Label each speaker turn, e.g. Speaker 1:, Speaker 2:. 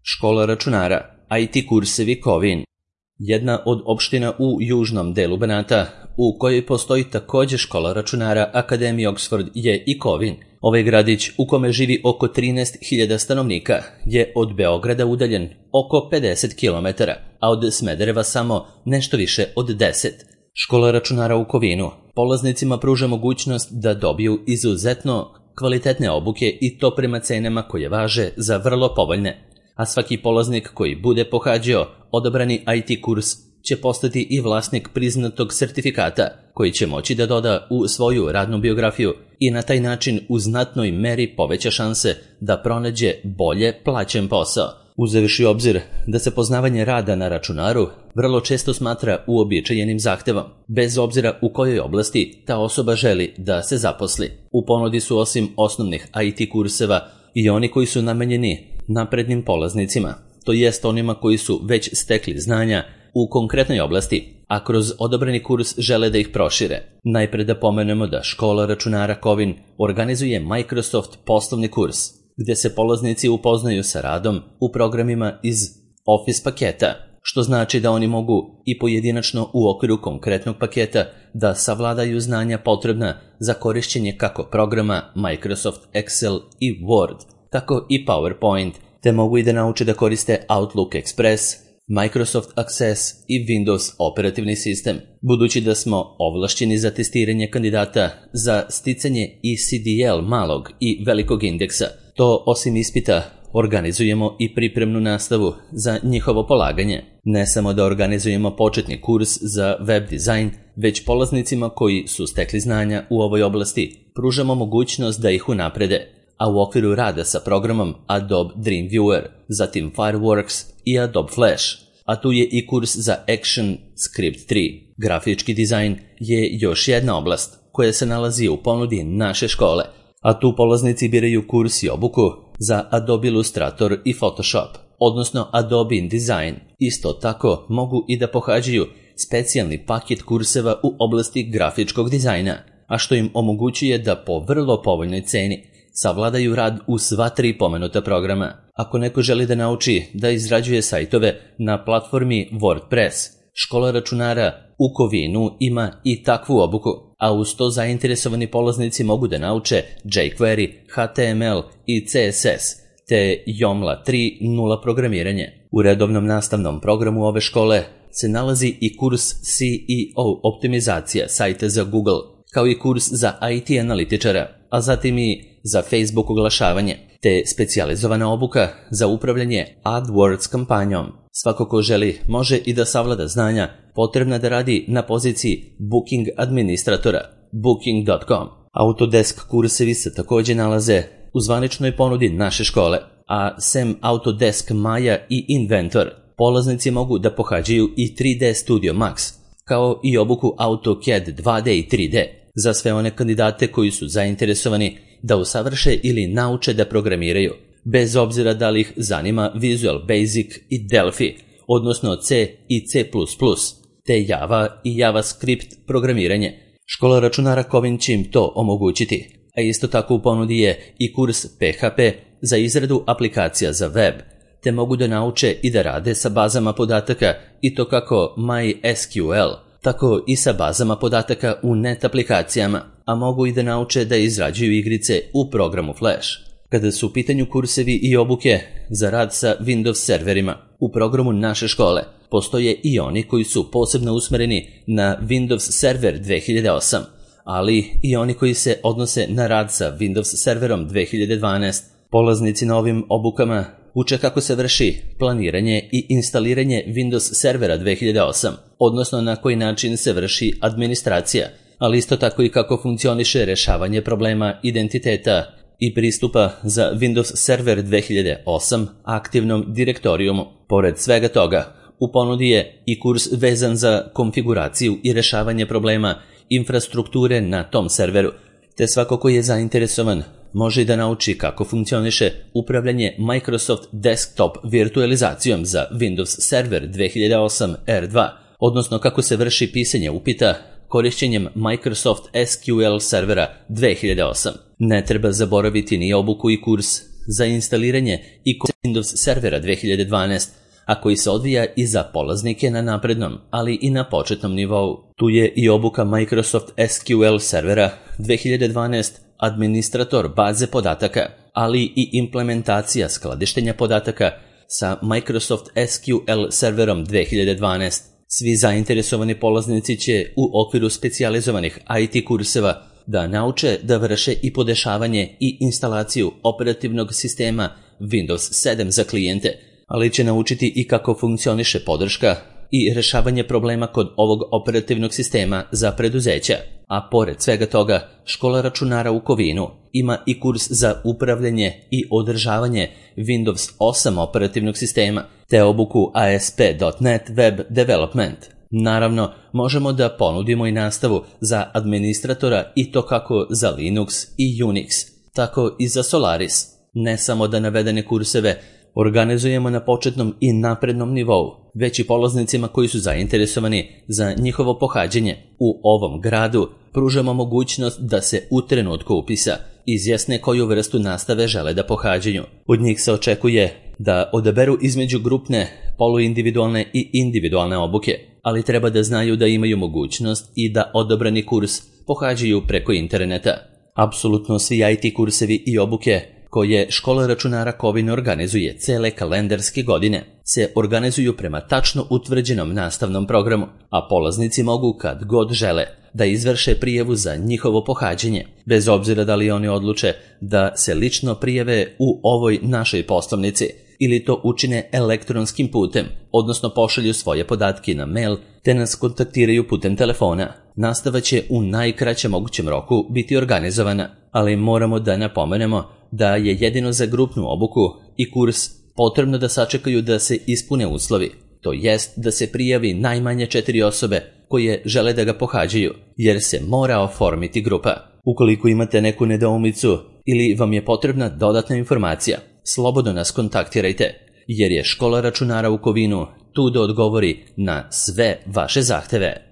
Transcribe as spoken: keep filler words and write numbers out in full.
Speaker 1: Škola računara, I T kursevi Kovin. Jedna od opština u južnom delu Banata, u kojoj postoji također škola računara Akademije Oxford, je i Kovin. Ovaj gradić, u kome živi oko trinaest hiljada stanovnika, je od Beograda udaljen oko pedeset kilometara, a od Smedereva samo nešto više od deset. Škola računara u Kovinu polaznicima pruža mogućnost da dobiju izuzetno kvalitetne obuke i to prema cenama koje važe za vrlo povoljne. A svaki polaznik koji bude pohađao odabrani I T kurs će postati i vlasnik priznatog sertifikata koji će moći da doda u svoju radnu biografiju i na taj način u znatnoj meri poveća šanse da pronađe bolje plaćen posao. Uzevši u obzir da se poznavanje rada na računaru vrlo često smatra uobičajenim zahtevom, bez obzira u kojoj oblasti ta osoba želi da se zaposli. U ponudi su osim osnovnih I T kurseva i oni koji su namenjeni naprednim polaznicima, to jest onima koji su već stekli znanja u konkretnoj oblasti, a kroz odabrani kurs žele da ih prošire. Najpre da pomenemo da škola računara Kovin organizuje Microsoft poslovni kurs, gdje se polaznici upoznaju sa radom u programima iz Office paketa, što znači da oni mogu i pojedinačno u okviru konkretnog paketa da savladaju znanja potrebna za korišćenje kako programa Microsoft Excel i Word, tako i PowerPoint, te mogu i da nauče da koriste Outlook Express, Microsoft Access i Windows operativni sistem. Budući da smo ovlašćeni za testiranje kandidata za sticanje E C D L malog i velikog indeksa, to osim ispita organizujemo i pripremnu nastavu za njihovo polaganje. Ne samo da organizujemo početni kurs za web dizajn, već polaznicima koji su stekli znanja u ovoj oblasti pružamo mogućnost da ih unaprede, a u okviru rada sa programom Adobe Dreamweaver, zatim Fireworks i Adobe Flash, a tu je i kurs za Action Script tri. Grafički dizajn je još jedna oblast koja se nalazi u ponudi naše škole, a tu polaznici biraju kurs i obuku za Adobe Illustrator i Photoshop, odnosno Adobe InDesign. Isto tako mogu i da pohađaju specijalni paket kurseva u oblasti grafičkog dizajna, a što im omogućuje da po vrlo povoljnoj ceni savladaju rad u sva tri pomenuta programa. Ako neko želi da nauči da izrađuje sajtove na platformi WordPress, škola računara u Kovinu ima i takvu obuku, a uz to zainteresovani polaznici mogu da nauče jQuery, H T M L i C S S, te Joomla tri nula programiranje. U redovnom nastavnom programu ove škole se nalazi i kurs S E O optimizacija sajta za Google, kao i kurs za I T analitičara, a zatim i za Facebook oglašavanje, te specijalizovana obuka za upravljanje AdWords kampanjom. Svako ko želi može i da savlada znanja potrebna da radi na poziciji Booking administratora, booking dot com. Autodesk kursevi se također nalaze u zvaničnoj ponudi naše škole, a sem Autodesk Maya i Inventor, polaznici mogu da pohađaju i tri D Studio Max, kao i obuku AutoCAD dva D i tri D, za sve one kandidate koji su zainteresovani da usavrše ili nauče da programiraju, bez obzira da li ih zanima Visual Basic i Delphi, odnosno C i C plus plus, te Java i JavaScript programiranje. Škola računara Kovin će im to omogućiti, a isto tako u ponudi je i kurs P H P za izradu aplikacija za web, te mogu da nauče i da rade sa bazama podataka i to kako MySQL, tako i sa bazama podataka u net aplikacijama, a mogu i da nauče da izrađuju igrice u programu Flash. Kada su u pitanju kursevi i obuke za rad sa Windows serverima, u programu naše škole postoje i oni koji su posebno usmereni na Windows Server dve hiljade osam, ali i oni koji se odnose na rad sa Windows Serverom dve hiljade dvanaest. Polaznici na ovim obukama uče kako se vrši planiranje i instaliranje Windows Servera dve hiljade osam, odnosno na koji način se vrši administracija, ali isto tako i kako funkcioniše rešavanje problema identiteta i pristupa za Windows Server dve hiljade osam aktivnom direktorijumu. Pored svega toga, u ponudi je i kurs vezan za konfiguraciju i rešavanje problema infrastrukture na tom serveru, te svako ko je zainteresovan može i da nauči kako funkcioniše upravljanje Microsoft Desktop virtualizacijom za Windows Server dve hiljade osam R dva, odnosno kako se vrši pisanje upita korišćenjem Microsoft S Q L servera dve hiljade osam. Ne treba zaboraviti ni obuku i kurs za instaliranje i Windows servera dve hiljade dvanaest, a koji se odvija i za polaznike na naprednom, ali i na početnom nivou. Tu je i obuka Microsoft S Q L servera dve hiljade dvanaest, administrator baze podataka, ali i implementacija skladištenja podataka sa Microsoft S Q L serverom dve hiljade dvanaest. Svi zainteresovani polaznici će u okviru specijalizovanih I T kurseva da nauče da vrše i podešavanje i instalaciju operativnog sistema Windows sedam za klijente, ali će naučiti i kako funkcioniše podrška i rešavanje problema kod ovog operativnog sistema za preduzeća. A pored svega toga, škola računara u Kovinu ima i kurs za upravljanje i održavanje Windows osam operativnog sistema, te obuku A S P dot net Web Development. Naravno, možemo da ponudimo i nastavu za administratora i to kako za Linux i Unix, tako i za Solaris. Ne samo da navedene kurseve organizujemo na početnom i naprednom nivou, već i polaznicima koji su zainteresovani za njihovo pohađanje u ovom gradu pružamo mogućnost da se u trenutku upisa izjasne koju vrstu nastave žele da pohađaju. Od njih se očekuje da odaberu između grupne, poluindividualne i individualne obuke, ali treba da znaju da imaju mogućnost i da odabrani kurs pohađaju preko interneta. Apsolutno svi I T kursevi i obuke koje škola računara Kovin organizuje cele kalendarske godine se organizuju prema tačno utvrđenom nastavnom programu, a polaznici mogu kad god žele da izvrše prijavu za njihovo pohađanje, bez obzira da li oni odluče da se lično prijave u ovoj našoj poslovnici ili to učine elektronskim putem, odnosno pošalju svoje podatke na mail te nas kontaktiraju putem telefona. Nastava će u najkraćem mogućem roku biti organizovana, ali moramo da napomenemo da je jedino za grupnu obuku i kurs potrebno da sačekaju da se ispune uslovi, to jest da se prijavi najmanje četiri osobe koje žele da ga pohađaju, jer se mora oformiti grupa. Ukoliko imate neku nedoumicu ili vam je potrebna dodatna informacija, slobodno nas kontaktirajte, jer je škola računara u Kovinu tu da odgovori na sve vaše zahteve.